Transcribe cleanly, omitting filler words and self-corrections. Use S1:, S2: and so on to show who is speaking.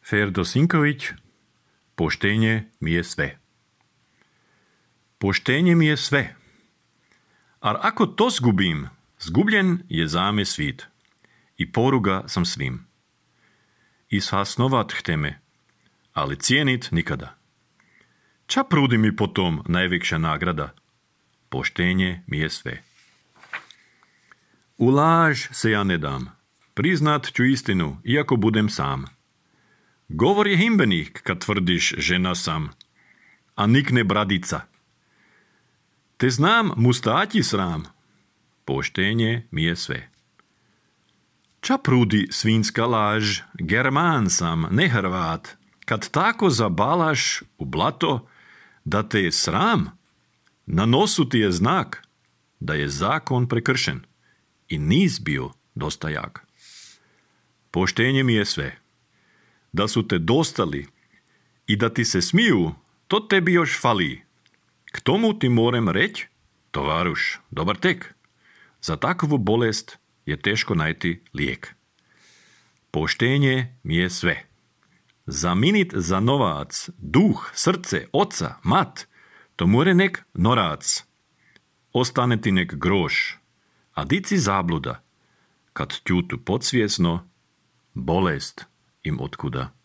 S1: Ferdo Sinković, poštenje mi je sve. Poštenje mi je sve. Ar ako to zgubim, zgubljen je zame svit. I poruga sam svim. I shasnovat hteme, ali cijenit nikada. Ča prudi mi potom najveća nagrada? Poštenje mi je sve. U laž se ja ne dam. Priznat ću istinu, iako budem sam. Govor je himbenik, kad tvrdiš žena sam, a nikne bradica. Te znam mustati sram. Poštenje mi je sve. Ča prudi svinska laž, German sam, ne Hrvat, kad tako zabalaš u blato, da te je sram, na nosu ti je znak, da je zakon prekršen i nis bio dosta jak. Poštenje mi je sve. Da su te dostali i da ti se smiju, to tebi još fali. K tomu ti morem reći, tovaruš, dobar tek. Za takvu bolest je teško najti lijek. Poštenje mi je sve. Zaminit za novac, duh, srce, oca, mat, to more nek norac. Ostane ti nek groš, a dici zabluda, kad tjutu podsvjesno, bolest im otkuda.